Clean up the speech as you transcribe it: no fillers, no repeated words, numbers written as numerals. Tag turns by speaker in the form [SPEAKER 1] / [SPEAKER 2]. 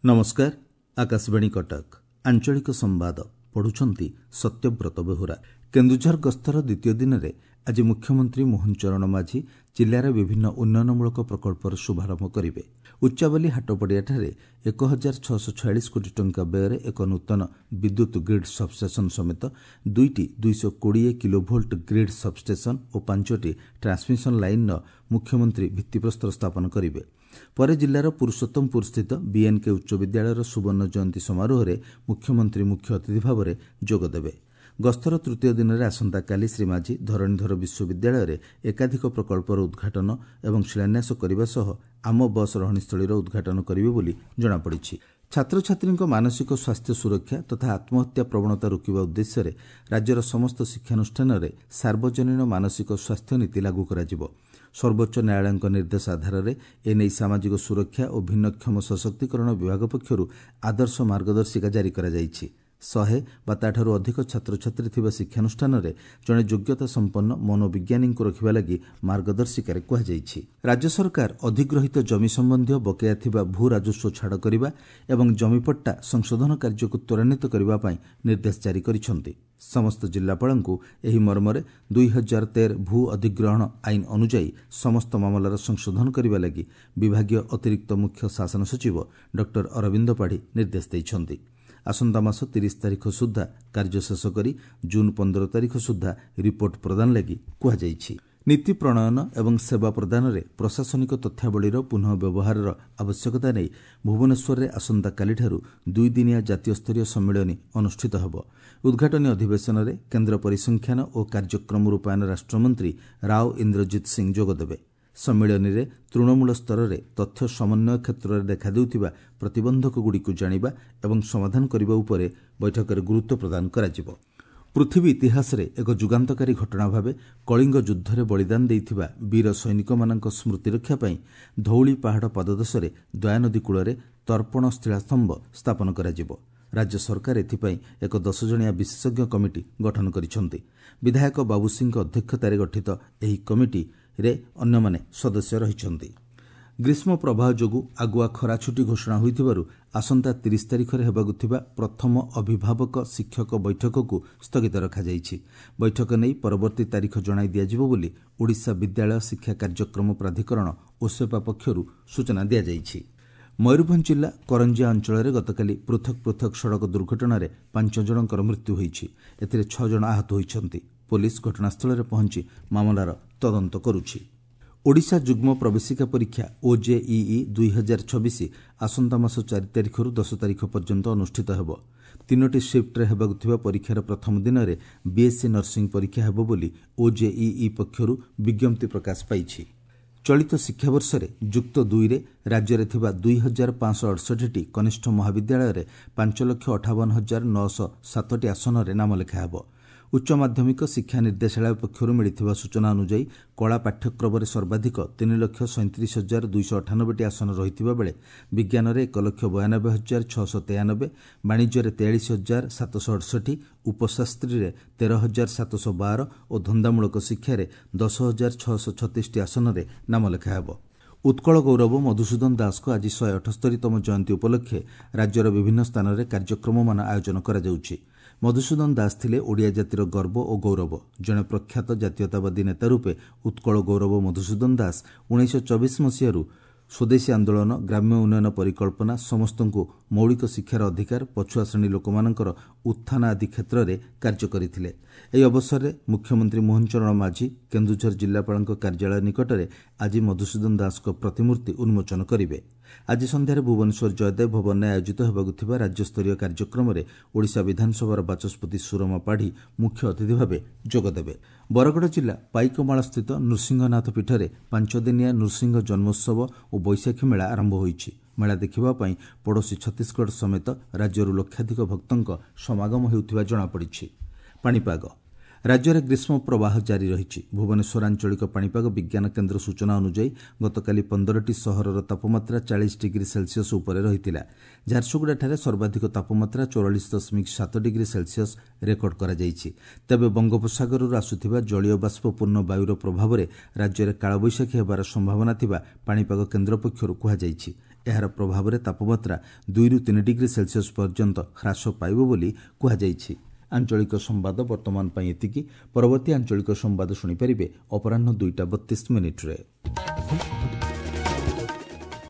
[SPEAKER 1] ନମସ୍କାର, ଆକାଶବାଣୀ କଟକ, ଆଞ୍ଚଳିକ ସମ୍ବାଦ ପଢୁଛନ୍ତି ସତ୍ୟବ୍ରତ ବେହୁରା। କେନ୍ଦୁଝର ଗସ୍ତର ଦ୍ୱିତୀୟ ଦିନରେ ଆଜି ମୁଖ୍ୟମନ୍ତ୍ରୀ ମୋହନ ଚରଣ ମାଝୀ ଜିଲ୍ଲାର ବିଭିନ୍ନ ଉନ୍ନୟନମୂଳକ ପ୍ରକଳ୍ପର ଶୁଭାରମ୍ଭ କରିବେ। ଉଚ୍ଚାବାଲି ହାଟପଡ଼ିଆଠାରେ 1646 କୋଟି ଟଙ୍କା ବ୍ୟୟରେ ଏକ ନୂତନ ବିଦ୍ୟୁତ୍ ଗ୍ରୀଡ୍ ସବ୍ଷ୍ଟେସନ୍ ସମେତ ଦୁଇଟି 220 କିଲୋଭୋଲ୍ଟ ଗ୍ରୀଡ୍ ସବ୍ଷ୍ଟେସନ୍ ଓ 5ଟି ଟ୍ରାନ୍ସମିଶନ୍ ଲାଇନ୍ର ମୁଖ୍ୟମନ୍ତ୍ରୀ ଭିତ୍ତିପ୍ରସ୍ତର ସ୍ଥାପନ କରିବେ। ପରେ ଜିଲ୍ଲାର ପୁରୁଷୋତ୍ତମପୁରସ୍ଥିତ ବିଏନ୍କେ ଉଚ୍ଚ ବିଦ୍ୟାଳୟର ସୁବର୍ଣ୍ଣ ଜୟନ୍ତୀ ସମାରୋହରେ ମୁଖ୍ୟମନ୍ତ୍ରୀ ମୁଖ୍ୟ ଅତିଥି ଭାବରେ ଯୋଗଦେବେ। ଗସ୍ତର ତୃତୀୟ ଦିନରେ ଆସନ୍ତାକାଲି ଶ୍ରୀ ମାଝୀ ଧରଣୀଧର ବିଶ୍ୱବିଦ୍ୟାଳୟରେ ଏକାଧିକ ପ୍ରକଳ୍ପର ଉଦ୍ଘାଟନ ଏବଂ ଶିଳାନ୍ୟାସ କରିବା ସହ ଆମ ବସ୍ ରହଣୀସ୍ଥଳୀର ଉଦ୍ଘାଟନ କରିବେ ବୋଲି ଜଣାପଡ଼ିଛି। ଛାତ୍ରଛାତ୍ରୀଙ୍କ ମାନସିକ ସ୍ୱାସ୍ଥ୍ୟ ସୁରକ୍ଷା ତଥା ଆତ୍ମହତ୍ୟା ପ୍ରବଣତା ରୋକିବା ଉଦ୍ଦେଶ୍ୟରେ ରାଜ୍ୟର ସମସ୍ତ ଶିକ୍ଷାନୁଷ୍ଠାନରେ ସାର୍ବଜନୀନ ମାନସିକ ସ୍ୱାସ୍ଥ୍ୟ ନୀତି ଲାଗୁ କରାଯିବ। ସର୍ବୋଚ୍ଚ ନ୍ୟାୟାଳୟଙ୍କ ନିର୍ଦ୍ଦେଶ ଆଧାରରେ ଏନେଇ ସାମାଜିକ ସୁରକ୍ଷା ଓ ଭିନ୍ନକ୍ଷମ ସଶକ୍ତିକରଣ ବିଭାଗ ପକ୍ଷରୁ ଆଦର୍ଶ ମାର୍ଗଦର୍ଶିକା ଜାରି କରାଯାଇଛି। 100 ବା ତା'ଠାରୁ ଅଧିକ ଛାତ୍ରଛାତ୍ରୀ ଥିବା ଶିକ୍ଷାନୁଷ୍ଠାନରେ ଜଣେ ଯୋଗ୍ୟତା ସମ୍ପନ୍ନ ମନୋବିଜ୍ଞାନୀଙ୍କୁ ରଖିବା ଲାଗି ମାର୍ଗଦର୍ଶିକାରେ କୁହାଯାଇଛି। ରାଜ୍ୟ ସରକାର ଅଧିଗ୍ରହୀତ ଜମି ସମ୍ବନ୍ଧୀୟ ବକେୟା ଥିବା ଭୂ ରାଜସ୍ୱ ଛାଡ଼ କରିବା ଏବଂ ଜମିପଟ୍ଟା ସଂଶୋଧନ କାର୍ଯ୍ୟକୁ ତ୍ୱରାନ୍ୱିତ କରିବା ପାଇଁ ନିର୍ଦ୍ଦେଶ ଜାରି କରିଛନ୍ତି। ସମସ୍ତ ଜିଲ୍ଲାପାଳଙ୍କୁ ଏହି ମର୍ମରେ 2013 ଭୂ ଅଧିଗ୍ରହଣ ଆଇନ ଅନୁଯାୟୀ ସମସ୍ତ ମାମଲାର ସଂଶୋଧନ କରିବା ଲାଗି ବିଭାଗୀୟ ଅତିରିକ୍ତ ମୁଖ୍ୟ ଶାସନ ସଚିବ ଡକ୍ଟର ଅରବିନ୍ଦ ପାଢ଼ୀ ନିର୍ଦ୍ଦେଶ ଦେଇଛନ୍ତି। ଆସନ୍ତା ମାସ 30 ତାରିଖ ସୁଦ୍ଧା କାର୍ଯ୍ୟ ଶେଷ କରି ଜୁନ୍ 15 ତାରିଖ ସୁଦ୍ଧା ରିପୋର୍ଟ ପ୍ରଦାନ ଲାଗି କୁହାଯାଇଛି। ନୀତି ପ୍ରଣୟନ ଏବଂ ସେବା ପ୍ରଦାନରେ ପ୍ରଶାସନିକ ତଥ୍ୟାବଳୀର ପୁନଃ ବ୍ୟବହାରର ଆବଶ୍ୟକତା ନେଇ ଭୁବନେଶ୍ୱରରେ ଆସନ୍ତାକାଲିଠାରୁ ଦୁଇଦିନିଆ ଜାତୀୟ ସ୍ତରୀୟ ସମ୍ମିଳନୀ ଅନୁଷ୍ଠିତ ହେବ। ଉଦ୍ଘାଟନୀ ଅଧିବେଶନରେ କେନ୍ଦ୍ର ପରିସଂଖ୍ୟାନ ଓ କାର୍ଯ୍ୟକ୍ରମ ରୂପାୟନ ରାଷ୍ଟ୍ରମନ୍ତ୍ରୀ ରାଓ ଇନ୍ଦ୍ରଜିତ ସିଂ ଯୋଗଦେବେ। ସମ୍ମିଳନୀରେ ତୃଣମୂଳ ସ୍ତରରେ ତଥ୍ୟ ସମନ୍ୱୟ କ୍ଷେତ୍ରରେ ଦେଖାଦେଉଥିବା ପ୍ରତିବନ୍ଧକଗୁଡ଼ିକୁ ଜାଣିବା ଏବଂ ସମାଧାନ କରିବା ଉପରେ ବୈଠକରେ ଗୁରୁତ୍ୱ ପ୍ରଦାନ କରାଯିବ। ପୃଥିବୀ ଇତିହାସରେ ଏକ ଯୁଗାନ୍ତକାରୀ ଘଟଣା ଭାବେ କଳିଙ୍ଗ ଯୁଦ୍ଧରେ ବଳିଦାନ ଦେଇଥିବା ବୀର ସୈନିକମାନଙ୍କ ସ୍ମୃତିରକ୍ଷା ପାଇଁ ଧଉଳି ପାହାଡ଼ ପାଦଦେଶରେ ଦୟାନଦୀ କୂଳରେ ତର୍ପଣ ଶିଳାସ୍ତମ୍ଭ ସ୍ଥାପନ କରାଯିବ। ରାଜ୍ୟ ସରକାର ଏଥିପାଇଁ ଏକ 10 ଜଣିଆ ବିଶେଷଜ୍ଞ କମିଟି ଗଠନ କରିଛନ୍ତି। ବିଧାୟକ ବାବୁ ସିଂଙ୍କ ଅଧ୍ୟକ୍ଷତାରେ ଗଠିତ ଏହି କମିଟିରେ ଅନ୍ୟମାନେ ସଦସ୍ୟ ରହିଛନ୍ତି। ଗ୍ରୀଷ୍ମ ପ୍ରବାହ ଯୋଗୁଁ ଆଗୁଆ ଖରାଛୁଟି ଘୋଷଣା ହୋଇଥିବାରୁ ଆସନ୍ତା 30 ତାରିଖରେ ହେବାକୁ ଥିବା ପ୍ରଥମ ଅଭିଭାବକ ଶିକ୍ଷକ ବୈଠକକୁ ସ୍ଥଗିତ ରଖାଯାଇଛି। ବୈଠକ ନେଇ ପରବର୍ତ୍ତୀ ତାରିଖ ଜଣାଇ ଦିଆଯିବ ବୋଲି ଓଡ଼ିଶା ବିଦ୍ୟାଳୟ ଶିକ୍ଷା କାର୍ଯ୍ୟକ୍ରମ ପ୍ରାଧିକରଣ ଓସେପା ପକ୍ଷରୁ ସୂଚନା ଦିଆଯାଇଛି। ମୟୂରଭଞ୍ଜ ଜିଲ୍ଲା କରଞ୍ଜିଆ ଅଞ୍ଚଳରେ ଗତକାଲି ପୃଥକ୍ ପୃଥକ୍ ସଡ଼କ ଦୁର୍ଘଟଣାରେ 5 ଜଣଙ୍କର ମୃତ୍ୟୁ ହୋଇଛି। ଏଥିରେ 6 ଜଣ ଆହତ ହୋଇଛନ୍ତି। ପୋଲିସ ଘଟଣାସ୍ଥଳରେ ପହଞ୍ଚି ମାମଲାର ତଦନ୍ତ କରୁଛି। ଓଡ଼ିଶା ଯୁଗ୍ମ ପ୍ରବେଶିକା ପରୀକ୍ଷା ଓଜେଇଇ 2026 ଆସନ୍ତା ମାସ 4 ତାରିଖରୁ 10 ତାରିଖ ପର୍ଯ୍ୟନ୍ତ ଅନୁଷ୍ଠିତ ହେବ। 3ଟି ସିଫ୍ଟରେ ହେବାକୁ ଥିବା ପରୀକ୍ଷାର ପ୍ରଥମ ଦିନରେ ବିଏସ୍ସି ନର୍ସିଂ ପରୀକ୍ଷା ହେବ ବୋଲି ଓଜେଇଇ ପକ୍ଷରୁ ବିଜ୍ଞପ୍ତି ପ୍ରକାଶ ପାଇଛି। ଚଳିତ ଶିକ୍ଷାବର୍ଷରେ ଯୁକ୍ତ 2ରେ ରାଜ୍ୟରେ ଥିବା 2568ଟି କନିଷ୍ଠ ମହାବିଦ୍ୟାଳୟରେ 5,58,907ଟି ଆସନରେ ନାମଲେଖା ହେବ। ଉଚ୍ଚ ମାଧ୍ୟମିକ ଶିକ୍ଷା ନିର୍ଦ୍ଦେଶାଳୟ ପକ୍ଷରୁ ମିଳିଥିବା ସୂଚନା ଅନୁଯାୟୀ କଳା ପାଠ୍ୟକ୍ରମରେ ସର୍ବାଧିକ 3,37,298ଟି ଆସନ ରହିଥିବା ବେଳେ ବିଜ୍ଞାନରେ 1,92,693, ବାଣିଜ୍ୟରେ 43,768, ଉପଶାସ୍ତ୍ରୀରେ 13,712 ଓ ଧନ୍ଦାମୂଳକ ଶିକ୍ଷାରେ 10,636ଟି ଆସନରେ ନାମଲେଖା ହେବ। ଉତ୍କଳ ଗୌରବ ମଧୁସୂଦନ ଦାସଙ୍କ ଆଜି 178ତମ ଜୟନ୍ତୀ ଉପଲକ୍ଷେ ରାଜ୍ୟର ବିଭିନ୍ନ ସ୍ଥାନରେ କାର୍ଯ୍ୟକ୍ରମମାନ ଆୟୋଜନ କରାଯାଉଛି। ମଧୁସୂଦନ ଦାସ ଥିଲେ ଓଡ଼ିଆ ଜାତିର ଗର୍ବ ଓ ଗୌରବ। ଜଣେ ପ୍ରଖ୍ୟାତ ଜାତୀୟତାବାଦୀ ନେତା ରୂପେ ଉତ୍କଳ ଗୌରବ ମଧୁସୂଦନ ଦାସ 1924 ମସିହାରୁ ସ୍ୱଦେଶୀ ଆନ୍ଦୋଳନ, ଗ୍ରାମ୍ୟ ଉନ୍ନୟନ ପରିକଳ୍ପନା, ସମସ୍ତଙ୍କୁ ମୌଳିକ ଶିକ୍ଷାର ଅଧିକାର, ପଛୁଆ ଶ୍ରେଣୀ ଲୋକମାନଙ୍କର ଉତ୍ଥାନ ଆଦି କ୍ଷେତ୍ରରେ କାର୍ଯ୍ୟ କରିଥିଲେ। ଏହି ଅବସରରେ ମୁଖ୍ୟମନ୍ତ୍ରୀ ମୋହନ ଚରଣ ମାଝୀ କେନ୍ଦୁଝର ଜିଲ୍ଲାପାଳଙ୍କ କାର୍ଯ୍ୟାଳୟ ନିକଟରେ ଆଜି ମଧୁସୂଦନ ଦାସଙ୍କ ପ୍ରତିମୂର୍ତ୍ତି ଉନ୍ମୋଚନ କରିବେ। ଆଜି ସନ୍ଧ୍ୟାରେ ଭୁବନେଶ୍ୱର ଜୟଦେବ ଭବନରେ ଆୟୋଜିତ ହେବାକୁ ଥିବା ରାଜ୍ୟସ୍ତରୀୟ କାର୍ଯ୍ୟକ୍ରମରେ ଓଡ଼ିଶା ବିଧାନସଭାର ବାଚସ୍ପତି ସୁରମା ପାଢ଼ୀ ମୁଖ୍ୟ ଅତିଥି ଭାବେ ଯୋଗଦେବେ। ବରଗଡ଼ ଜିଲ୍ଲା ପାଇକମାଳସ୍ଥିତ ନୃସିଂହନାଥ ପୀଠରେ 5 ଦିନିଆ ନୃସିଂହ ଜନ୍ମୋତ୍ସବ ଓ ବୈଶାଖୀ ମେଳା ଆରମ୍ଭ ହୋଇଛି। ମେଳା ଦେଖିବା ପାଇଁ ପଡ଼ୋଶୀ ଛତିଶଗଡ଼ ସମେତ ରାଜ୍ୟରୁ ଲକ୍ଷାଧିକ ଭକ୍ତଙ୍କ ସମାଗମ ହେଉଥିବା ଜଣାପଡ଼ିଛି। ପାଣିପାଗ ରାଜ୍ୟରେ ଗ୍ରୀଷ୍ମ ପ୍ରବାହ ଜାରି ରହିଛି। ଭୁବନେଶ୍ୱର ଆଞ୍ଚଳିକ ପାଣିପାଗ ବିଜ୍ଞାନ କେନ୍ଦ୍ର ସୂଚନା ଅନୁଯାୟୀ ଗତକାଲି 15ଟି ସହରର ତାପମାତ୍ରା 40 ଡିଗ୍ରୀ ସେଲସିୟସ୍ ଉପରେ ରହିଥିଲା। ଝାରସୁଗୁଡ଼ାଠାରେ ସର୍ବାଧିକ ତାପମାତ୍ରା 44.7 ଡିଗ୍ରୀ ସେଲସିୟସ୍ ରେକର୍ଡ କରାଯାଇଛି। ତେବେ ବଙ୍ଗୋପସାଗରରୁ ଆସୁଥିବା ଜଳୀୟ ବାଷ୍ପପୂର୍ଣ୍ଣ ବାୟୁର ପ୍ରଭାବରେ ରାଜ୍ୟରେ କାଳବୈଶାଖୀ ହେବାର ସମ୍ଭାବନା ଥିବା ପାଣିପାଗ କେନ୍ଦ୍ର ପକ୍ଷରୁ କୁହାଯାଇଛି। ଏହାର ପ୍ରଭାବରେ ତାପମାତ୍ରା 2ରୁ 3 ଡିଗ୍ରୀ ସେଲସିୟସ୍ ପର୍ଯ୍ୟନ୍ତ ହ୍ରାସ ପାଇବ ବୋଲି କୁହାଯାଇଛି। ଆଞ୍ଚଳିକ ସମ୍ବାଦ ବର୍ତ୍ତମାନ ପାଇଁ ଏତିକି। ପରବର୍ତ୍ତୀ ଆଞ୍ଚଳିକ ସମ୍ବାଦ ଶୁଣିପାରିବେ ଅପରାହ୍ନ 2ଟା 32 ମିନିଟ୍ରେ।